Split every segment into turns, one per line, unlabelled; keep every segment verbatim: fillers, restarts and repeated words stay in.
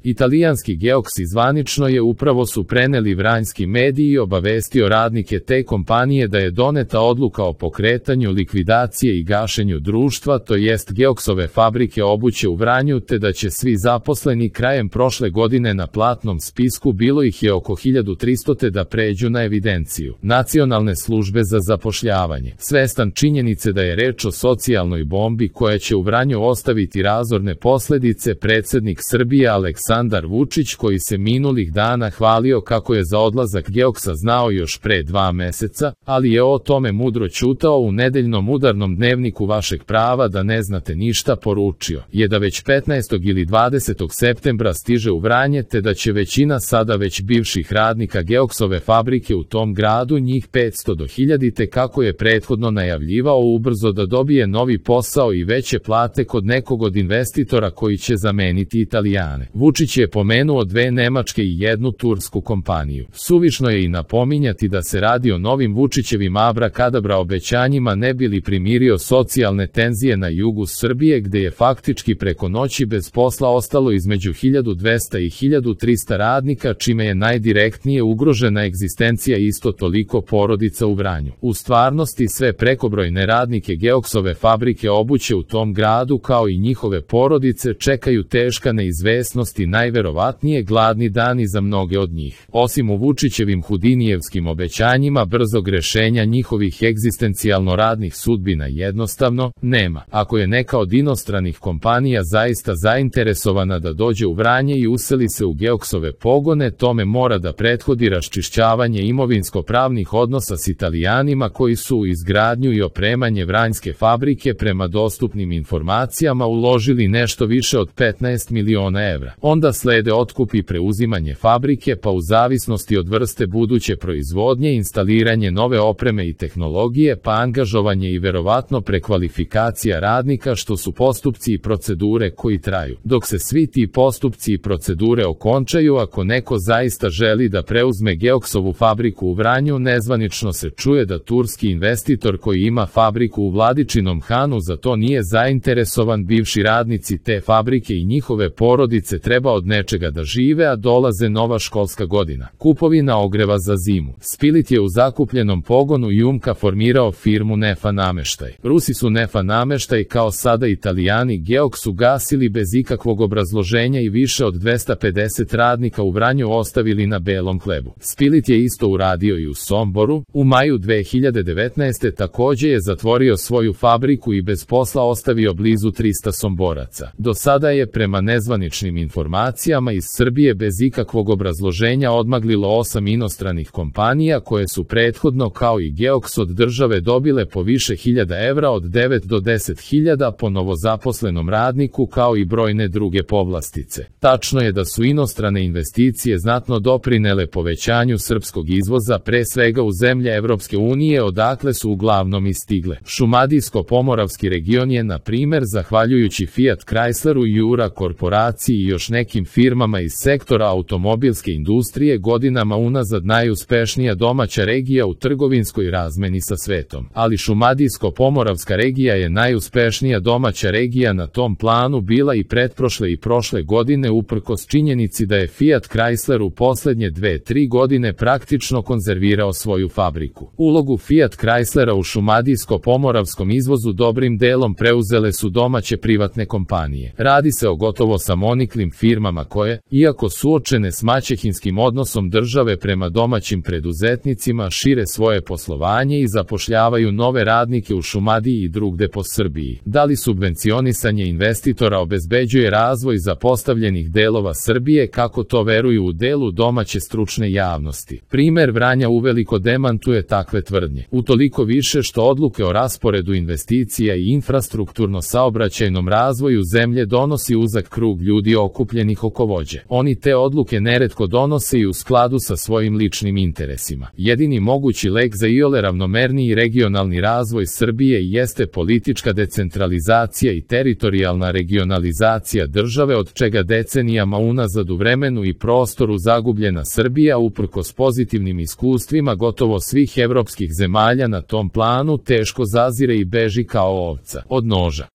Italijanski Geoksi zvanično je upravo su preneli vranjski mediji i obavestio radnike te kompanije da je doneta odluka o pokretanju likvidacije i gašenju društva, to jest Geoksove fabrike obuće u Vranju, te da će svi zaposleni krajem prošle godine na platnom spisku, bilo ih je oko hiljadu tristo, te da pređu na evidenciju Nacionalne službe za zapošljavanje. Svestan činjenice da je reč o socijalnoj bombi koja će u Vranju ostaviti razorne posledice, predsjednik Srbije Aleksandar Vučić, koji se minulih dana hvalio kako je za odlazak Geoksa znao još pre dva meseca, ali je o tome mudro ćutao, u nedeljnom udarnom dnevniku Vašeg prava da ne znate ništa poručio je da već petnaestog ili dvadesetog septembra stiže u Vranje, te da će većina sada već bivših radnika Geoksove fabrike u tom gradu, njih petsto do hiljadu, te kako je prethodno najavljivao, ubrzo da dobije novi posao i veće plate kod nekog od investitora koji će zameniti Italijane. Vučić je pomenuo dve nemačke i jednu tursku kompaniju. Suvišno je i napominjati da se radi o novim Vučićevim abrakadabra obećanjima ne bi li primirio socijalne tenzije na jugu Srbije, gde je faktički preko noći bez posla ostalo između hiljadu dvesta i hiljadu trista radnika, čime je najdirektnije ugrožena egzistencija isto toliko porodica u Vranju. U stvarnosti sve prekobrojne radnike Geoksove fabrike obuće u tom gradu, kao i njihove porodice, čekaju teška neizvesnost i najverovatnije gladni dani za mnoge od njih. Osim u Vučićevim hudinijevskim obećanjima brzog rešenja njihovih egzistencijalno radnih sudbina jednostavno nema. Ako je neka od inostranih kompanija zaista zainteresovana da dođe u Vranje i useli se u Geoksove pogone, tome mora da prethodi raščišćavanje imovinsko-pravnih odnosa s Italijanima koji su u izgradnju i opremanje vranjske fabrike prema dostupnim informacijama uložili nešto više od petnaest miliona evra. Onda slede otkup i preuzimanje fabrike, pa u zavisnosti od vrste buduće proizvodnje instaliranje nove opreme i tehnologije, pa angažovanje i verovatno prekvalifikacija radnika, što su postupci i procedure koji traju. Dok se svi ti postupci i procedure okončaju, ako neko zaista želi da preuzme Geoksovu fabriku u Vranju, nezvanično se čuje da turski investitor koji ima fabriku u Vladičinom Hanu za to nije zainteresovan. Bivši radnici te fabrike i njihove porodice treba od nečega da žive, a dolaze nova školska godina. Kupovina ogreva za zimu. Spilit je u zakupljenom pogonu Jumka formirao firmu Nefa nameštaj. Rusi su Nefa nameštaj, kao sada Italijani Geoks, ugasili bez ikakvog obrazloženja i više od dvesta pedeset radnika u Vranju ostavili na belom hlebu. Spilit je isto uradio i u Somboru. U maju dve hiljade devetnaeste. takođe je zatvorio svoju fabriku i bez posla ostavio blizu trista Somboraca. Do sada je prema nezvaničnim informacijama iz Srbije bez ikakvog obrazloženja odmaglilo osam inostranih kompanija koje su prethodno kao i Geoks od države dobile po više hiljada evra, od devet do deset hiljada po novozaposlenom radniku, kao i brojne druge povlastice. Tačno je da su inostrane investicije znatno doprinele povećanju srpskog izvoza, pre svega u zemlje Evropske unije, odakle su uglavnom i stigle. Šumadijsko-pomoravski region je, na primer, zahvaljujući Fiat Chrysleru, Jura korporaciji i još nekim firmama iz sektora automobilske industrije, godinama unazad najuspešnija domaća regija u trgovinskoj razmeni sa svetom. Ali Šumadijsko-pomoravska regija je najuspešnija domaća regija na tom planu bila i pretprošle i prošle godine, uprkos činjenici da je Fiat Chrysler u poslednje dve, tri godine praktično konzervirao svoju fabriku. Ulogu Fiat Chryslera u Šumadijsko-pomoravskom izvozu dobrim delom preuzele su domaće privatne kompanije. Radi se o gotovo samoniklim firmama koje, iako suočene s maćehinskim odnosom države prema domaćim preduzetnicima, šire svoje poslovanje i zapošljavaju nove radnike u Šumadiji i drugde po Srbiji. Da li subvencionisanje investitora obezbeđuje razvoj zapostavljenih delova Srbije, kako to veruju u delu domaće stručne javnosti? Primer Vranja uveliko demantuje takve tvrdnje. Utoliko više što odluke o rasporedu investicija i infrastrukturno-saobraćajnom razvoju zemlje donosi uzak krug ljudi okupljenih oko vođe. Oni te odluke neretko donose i u skladu sa svojim ličnim interesima. Jedini mogući lek za iole ravnomerniji regionalni razvoj Srbije jeste politička decentralizacija i teritorijalna regionalizacija države, od čega decenijama unazad u vremenu i prostoru zagubljena Srbija, uprkos pozitivnim iskustvima gotovo svih evropskih zemalja na tom planu, teško zazire i beži kao ovca od noža.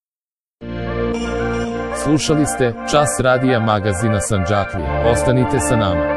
Slušali ste Čas radija magazina Sandžaklija. Ostanite sa nama.